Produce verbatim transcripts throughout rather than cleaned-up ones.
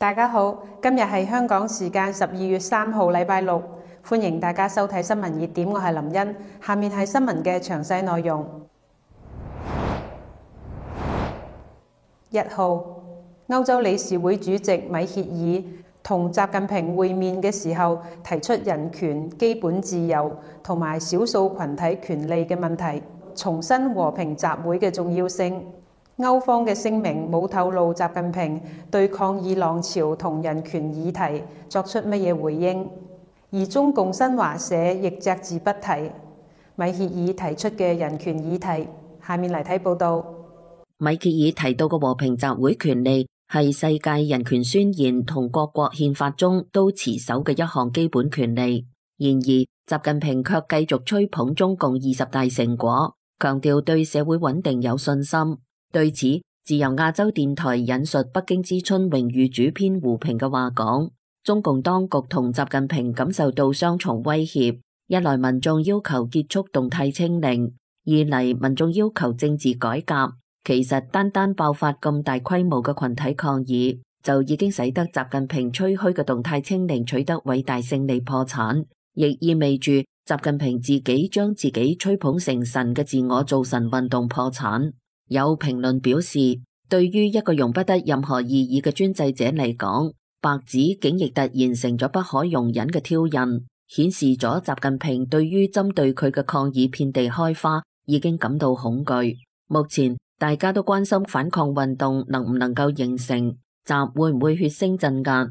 大家好，今日係香港時間十二月三號，禮拜六，歡迎大家收睇新聞熱點，我係林茵。下面係新聞嘅詳細內容。一號，歐洲理事會主席米歇爾同習近平會面嘅時候，提出人權、基本自由同埋少數群體權利嘅問題，重申和平集會嘅重要性。歐方嘅聲明冇透露習近平對抗議浪潮同人權議題作出乜嘢回應，而中共新華社亦隻字不提米歇爾提出嘅人權議題。下面嚟睇報道。米歇爾提到嘅和平集會權利係世界人權宣言同各國憲法中都持守嘅一項基本權利。然而，習近平卻繼續吹捧中共二十大成果，強調對社會穩定有信心。對此，自由亞洲電台引述北京之春榮譽主編胡平嘅話講，中共當局同習近平感受到雙重威脅：一來民眾要求結束動態清零，二嚟民眾要求政治改革。其實單單爆發咁大規模嘅群體抗議，就已經使得習近平吹噓嘅動態清零取得偉大勝利破產，亦意味住習近平自己將自己吹捧成神嘅自我造神運動破產。有評論表示，對於一個容不得任何異議嘅專制者嚟講，白紙竟亦突然成咗不可容忍嘅挑釁，顯示咗習近平對於針對佢嘅抗議遍地開花已經感到恐懼。目前大家都關心反抗運動能唔能夠形成，習會唔會血腥鎮壓。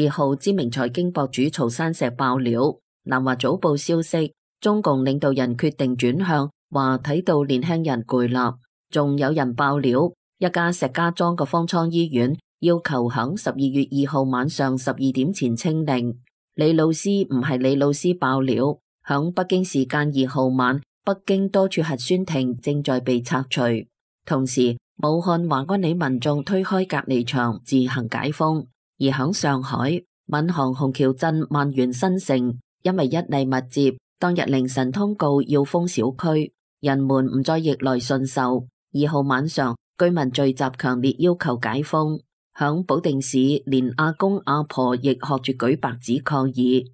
二號，知名財經博主曹山石爆料，南華早報消息，中共領導人決定轉向，話睇到年輕人攰啦。仲有人爆料，一家石家莊嘅方艙醫院要求響十二月二號晚上十二點前清零。李老師唔係李老師爆料，響北京時間二號晚，北京多處核酸亭正在被拆除。同時，武漢華安里民眾推開隔離牆自行解封。而響上海，閔行虹橋鎮萬源新城，因為一例密接，當日凌晨通告要封小區，人們唔再逆來順受。二號晚上，居民聚集強烈要求解封。響保定市，連阿公阿婆亦學住舉白紙抗議。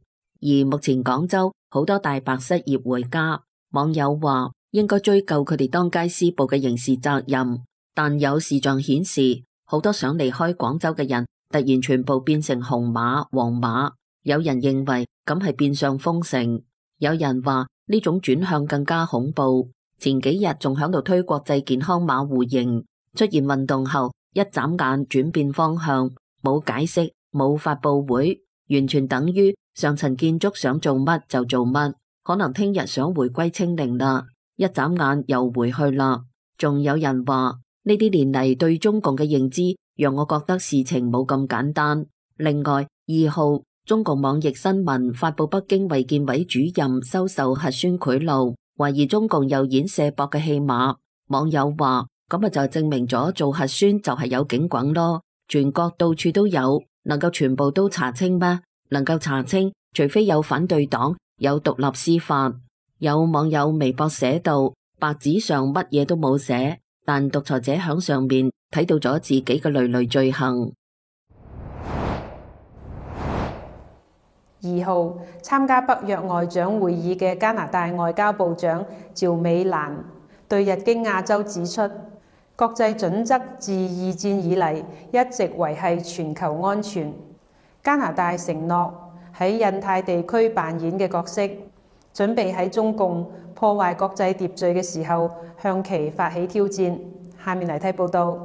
而目前廣州好多大白失業回家，網友話應該追究佢哋當街施暴嘅刑事責任。但有視像顯示，好多想離開廣州嘅人突然全部變成紅碼、黃碼。有人認為咁係變相封城，有人話呢種轉向更加恐怖。前幾日仲響度推國際健康碼互認，出現運動後一眨眼轉變方向，冇解釋，冇發布會，完全等於上層建築想做乜就做乜。可能聽日想回歸清零啦，一眨眼又回去啦。仲有人話呢啲年嚟對中共嘅認知讓我覺得事情冇咁簡單。另外，二號，中共網易新聞發布北京衛健委主任收受核酸賄賂，懷疑中共又演卸膊嘅戲碼。網友話咁啊，就證明咗做核酸就係有警棍咯，全國到處都有，能夠全部都查清咩？能夠查清，除非有反對黨，有獨立司法。有網友微博寫到，白紙上乜嘢都冇寫，但獨裁者響上面睇到咗自己嘅累累罪行。二號，參加北約外長會議嘅加拿大外交部長趙美蘭對日經亞洲指出，國際準則自二戰以嚟一直維繫全球安全。加拿大承諾喺印太地區扮演嘅角色，準備喺中共破壞國際秩序嘅時候向其發起挑戰。下面嚟睇報道。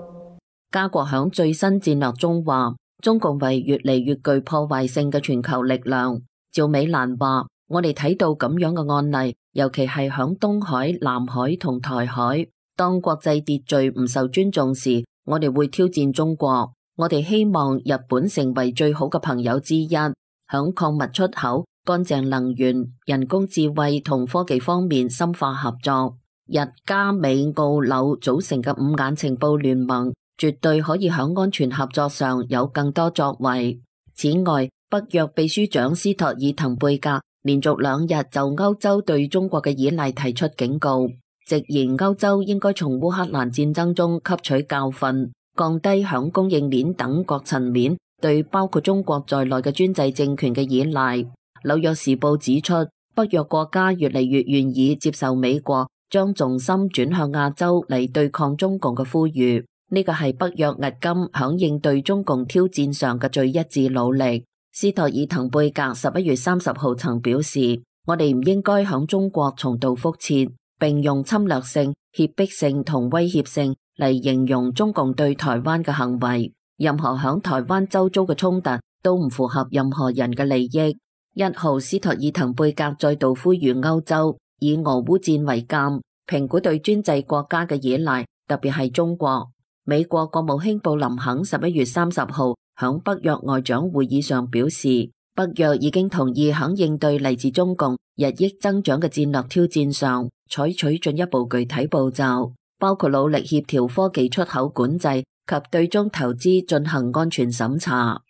加國響最新戰略中話，中共為越嚟越具破壞性嘅全球力量。趙美蘭話，我哋睇到咁樣嘅案例，尤其係響東海、南海同台海，當國際秩序唔受尊重時，我哋會挑戰中國。我哋希望日本成為最好嘅朋友之一，響礦物出口、乾淨能源、人工智慧同科技方面深化合作。日加美澳紐組成嘅五眼情報聯盟，絕對可以響安全合作上有更多作為。此外，北約秘書長斯托爾滕貝格連續兩日就歐洲對中國嘅依賴提出警告，直言歐洲應該從烏克蘭戰爭中吸取教訓，降低響供應鏈等各層面對包括中國在內嘅專制政權嘅依賴。紐約時報指出，北約國家越嚟越願意接受美國將重心轉向亞洲嚟對抗中共嘅呼籲，呢個係北約迄今響應對中共挑戰上嘅最一致努力。斯托爾滕貝格十一月三十號曾表示，我哋唔應該響中國重蹈覆轍，並用侵略性、脅迫性同威脅性嚟形容中共對台灣嘅行為。任何響台灣周遭嘅衝突都唔符合任何人嘅利益。一號斯托爾滕貝格再度呼籲歐洲以俄烏戰為鑑，評估對專制國家嘅依賴，特別係中國。美國國務卿布林肯十一月三十號響北約外長會議上表示，北約已經同意響應對嚟自中共日益增長嘅戰略挑戰上，採取進一步具體步驟，包括努力協調科技出口管制及對中投資進行安全審查。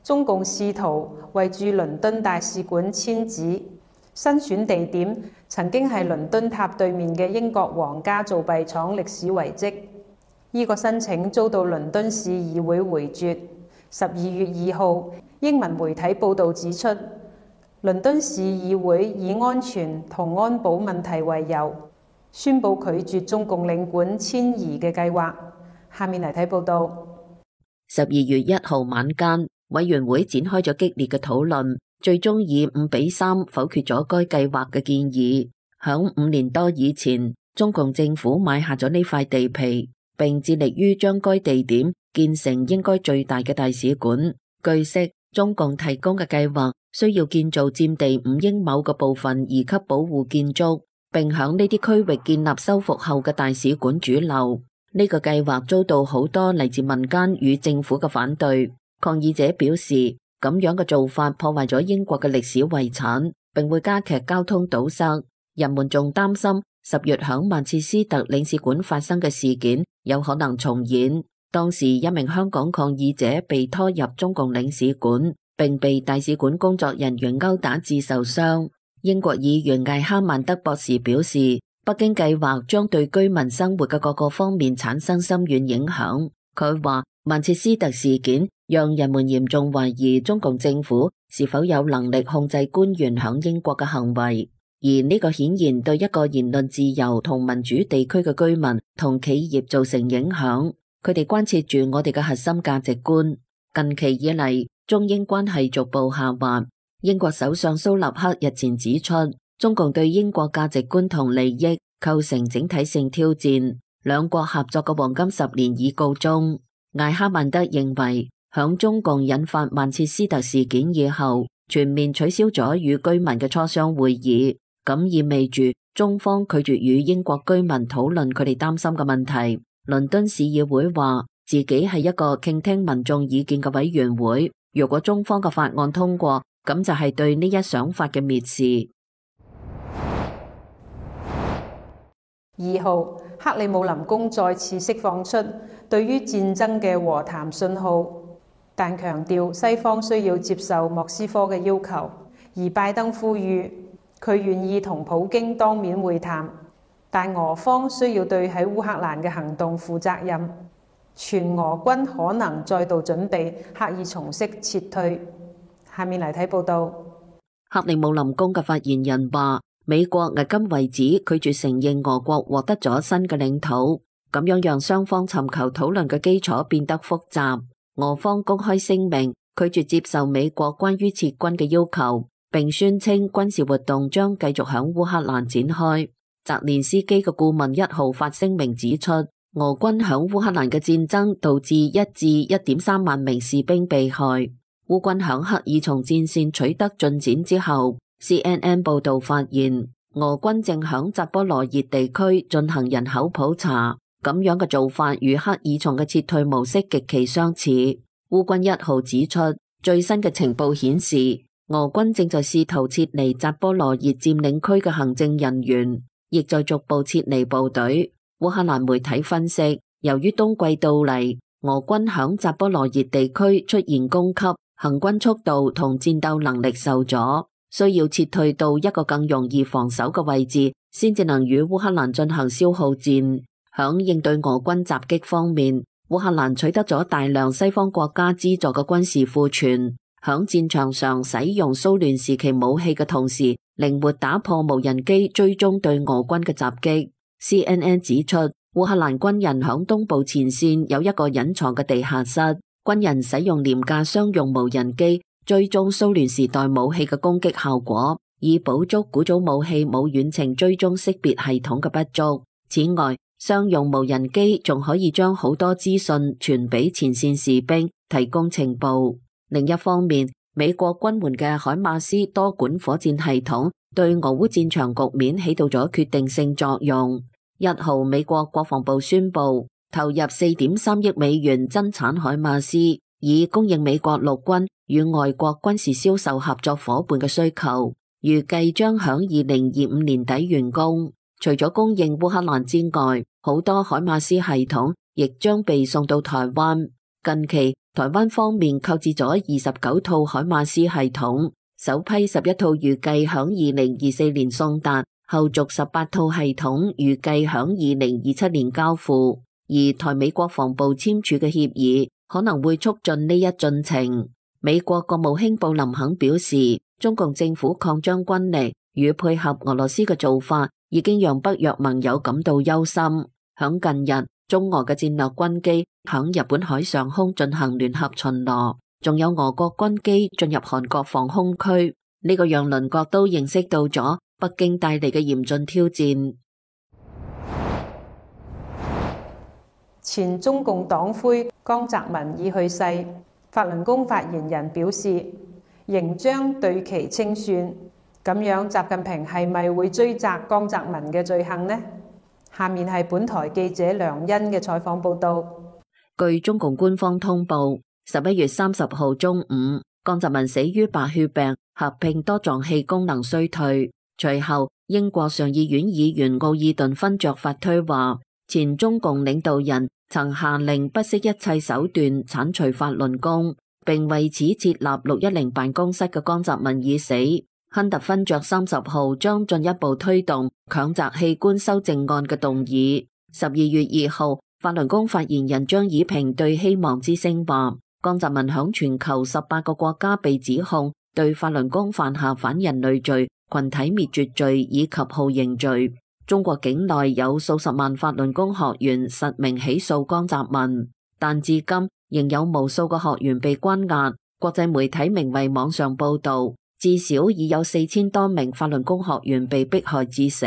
中共試圖為駐倫敦大使館遷址，新選地點曾經係倫敦塔對面嘅英國皇家造幣廠歷史遺跡。呢個申請遭到倫敦市議會回絕。十二月二號，英文媒體報導指出，倫敦市議會以安全同安保問題為由，宣布拒絕中共領館遷移嘅計劃。下面嚟睇報導。十二月一號晚間，委員會展開咗激烈嘅討論，最終以五比三否決咗該計劃嘅建議。響五年多以前，中共政府買下咗呢塊地皮，並致力於將該地點建成應該最大嘅大使館。據悉，中共提供嘅計劃需要建造佔地五英畝嘅部分二級保護建築，並響呢啲區域建立修復後嘅大使館主樓。呢個計劃遭到好多嚟自民間與政府嘅反對。抗議者表示，咁樣嘅做法破壞咗英國嘅歷史遺產，並會加劇交通堵塞。人們仲擔心十月響曼徹斯特領事館發生嘅事件有可能重演。當時一名香港抗議者被拖入中共領事館，並被大使館工作人員毆打致受傷。英國議員艾哈曼德博士表示，北京計劃將對居民生活嘅各個方面產生深遠影響。佢話，曼徹斯特事件讓人們嚴重懷疑中共政府是否有能力控制官員響英國嘅行為，而呢個顯然對一個言論自由同民主地區嘅居民同企業造成影響。佢哋關切住我哋嘅核心價值觀。近期以嚟，中英關係逐步下滑。英國首相蘇納克日前指出，中共對英國價值觀同利益構成整體性挑戰，兩國合作嘅黃金十年已告終。艾哈曼德認為，響中共引發曼徹斯特事件以後，全面取消咗與居民嘅磋商會議，咁意味住中方拒絕與英國居民討論佢哋擔心嘅問題。倫敦市議會話自己係一個傾聽民眾意見嘅委員會，如果中方嘅法案通過，咁就係對呢一想法嘅蔑視。二號，克里姆林宮再次釋放出對於戰爭嘅和談信號，但強調西方需要接受莫斯科嘅要求，而拜登呼籲佢願意同普京當面會談，但俄方需要對喺烏克蘭嘅行動負責任。全俄軍可能再度準備刻意重式撤退。下面嚟睇報道。克里姆林宮嘅發言人話，美國迄今為止拒絕承認俄國獲得咗新嘅領土，咁樣讓雙方尋求討論嘅基礎變得複雜。俄方公開聲明拒絕接受美國關於撤軍嘅要求，並宣稱軍事活動將繼續響烏克蘭展開。澤連斯基嘅顧問一號發聲明指出，俄軍響烏克蘭嘅戰爭導致一至一點三萬名士兵被害。烏軍響克爾松戰線取得進展之後，C N N 報道發現，俄軍正響扎波羅熱地區進行人口普查，咁樣嘅做法與克爾松嘅撤退模式極其相似。烏軍一號指出，最新嘅情報顯示，俄軍正在試圖撤離扎波羅熱佔領區嘅行政人員，亦在逐步撤離部隊。烏克蘭媒體分析，由於冬季到嚟，俄軍響扎波羅熱地區出現供給、行軍速度同戰鬥能力受阻，需要撤退到一個更容易防守嘅位置，先至能與烏克蘭進行消耗戰。響應對俄軍襲擊方面，烏克蘭取得咗大量西方國家資助嘅軍事庫存，響戰場上使用蘇聯時期武器嘅同時，靈活打破無人機追蹤對俄軍嘅襲擊。C N N 指出，烏克蘭軍人響東部前線有一個隱藏嘅地下室，軍人使用廉價商用無人機追蹤蘇聯時代武器嘅攻擊效果，以補足古早武器冇遠程追蹤識別系統嘅不足。此外，商用無人機仲可以將好多資訊傳俾前線士兵，提供情報。另一方面，美國軍援嘅海馬斯多管火箭系統對俄烏戰場局面起到咗決定性作用。一號，美國國防部宣布投入四點三億美元增產海馬斯，以供應美國陸軍與外國軍事銷售合作夥伴嘅需求，預計將響二零二五年底完工。除咗供應烏克蘭之外，好多海馬斯系統亦將被送到台灣。近期，台灣方面購置咗二十九套海馬斯系統，首批十一套預計響二零二四年送達，後續十八套系統預計響二零二七年交付。而台美國防部簽署嘅協議可能會促進呢一進程。美國國務卿布林肯表示，中共政府擴張軍力與配合俄羅斯嘅做法，已經讓北約盟友感到憂心。響近日，中俄嘅戰略軍機響日本海上空進行聯合巡邏，仲有俄國軍機進入韓國防空區，呢個讓鄰國都認識到咗北京帶嚟嘅嚴峻挑戰。前中共黨魁江澤民已去世，法輪功發言人表示，仍將對其清算。咁樣，習近平係咪會追責江澤民嘅罪行呢？下面係本台記者梁欣嘅採訪報道。據中共官方通報，十一月三十號中午，江澤民死於白血病合併多臟器功能衰退。隨後，英國上議院議員奧爾頓勳爵發推話，前中共領導人曾下令不惜一切手段剷除法輪功，並為此設立六一零辦公室嘅江澤民已死。亨特勳爵三十號將進一步推動強摘器官修正案嘅動議。十二月二號，法輪功發言人張以平對希望之聲話，江澤民響全球十八個國家被指控對法輪功犯下反人類罪、群體滅絕罪以及酷刑罪。中國境內有數十萬法輪功學員實名起訴江澤民，但至今仍有無數個學員被關押。國際媒體名為網上報道，至少已有四千多名法輪功學員被迫害致死。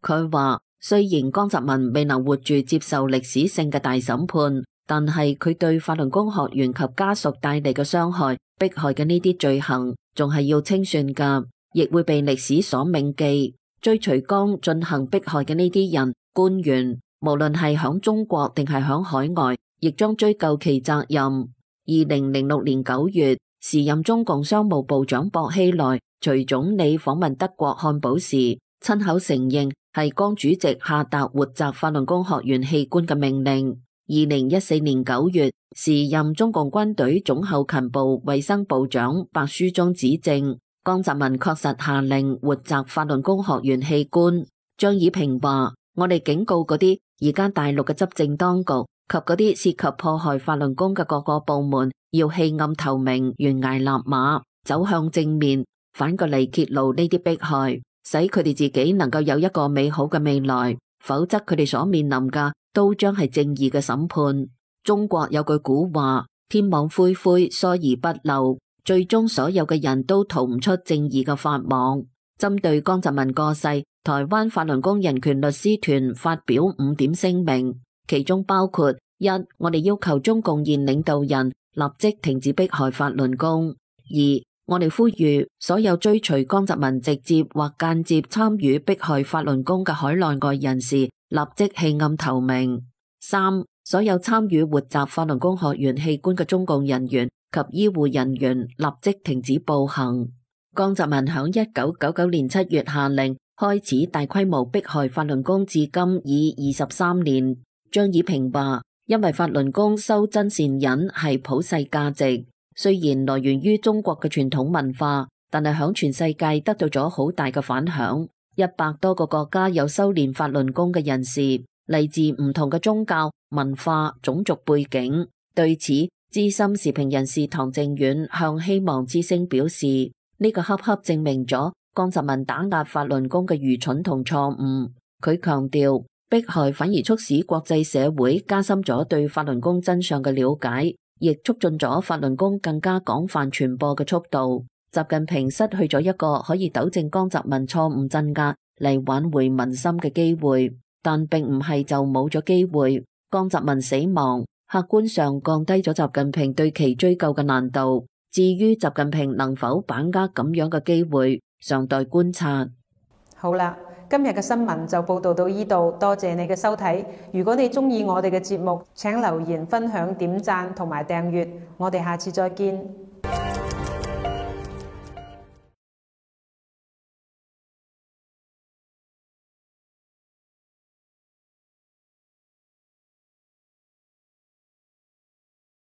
佢話，雖然江澤民未能活住接受歷史性嘅大審判，但係佢對法輪功學員及家屬帶嚟嘅傷害、迫害嘅呢啲罪行，仲係要清算噶，亦會被歷史所銘記。追隨江進行迫害嘅呢啲人、官員，無論係響中國定係響海外，亦將追究其責任。二零零六年九月，時任中共商務部長薄熙來隨總理訪問德國漢堡時，親口承認係江主席下達活摘法輪功學員器官嘅命令。二零一四年九月，時任中共軍隊總後勤部衛生部長白書忠指證，江澤民確實下令活摘法輪功學員器官。張以平話，我哋警告嗰啲而家大陸嘅執政當局及嗰啲涉及破壞法輪功嘅各個部門，要棄暗投明、懸崖勒馬，走向正面，反過嚟揭露呢啲迫害，使佢哋自己能夠有一個美好嘅未來，否則佢哋所面臨嘅都將係正義嘅審判。中國有句古話，天網恢恢，疏而不漏，最終所有嘅人都逃唔出正義嘅法網。針對江澤民過世，台灣法輪功人權律師團發表五點聲明，其中包括：一、我哋要求中共現領導人立即停止迫害法輪功；二、我哋呼籲所有追隨江澤民直接或間接參與迫害法輪功嘅海內外人士立即棄暗投明；三、所有參與活摘法輪功學員器官嘅中共人員及醫護人員立即停止暴行。江澤民響一九九九年七月下令開始大規模迫害法輪功，至今已二十三年。張以平話，因為法輪功修真善忍係普世價值，雖然來源於中國嘅傳統文化，但係響全世界得到咗好大嘅反響。一百多個國家有修煉法輪功嘅人士，嚟自唔同嘅宗教、文化、種族背景。對此，資深時評人士唐靖遠向希望之聲表示，呢、這個恰恰證明咗江澤民打壓法輪功嘅愚蠢同錯誤。佢強調，迫害反而促使國際社會加深咗對法輪功真相嘅了解，亦促進咗法輪功更加廣泛傳播嘅速度。習近平失去咗一個可以糾正江澤民錯誤鎮壓嚟挽回民心嘅機會，但並唔係就冇咗機會。江澤民死亡，客觀上降低咗習近平對其追究嘅難度。至於習近平能否把握咁樣嘅機會，尚待觀察。好啦，今日嘅新聞就報道到呢度，多謝你嘅收睇。如果你鍾意我哋嘅節目，請留言、分享、點讚同埋訂閱。我哋下次再見。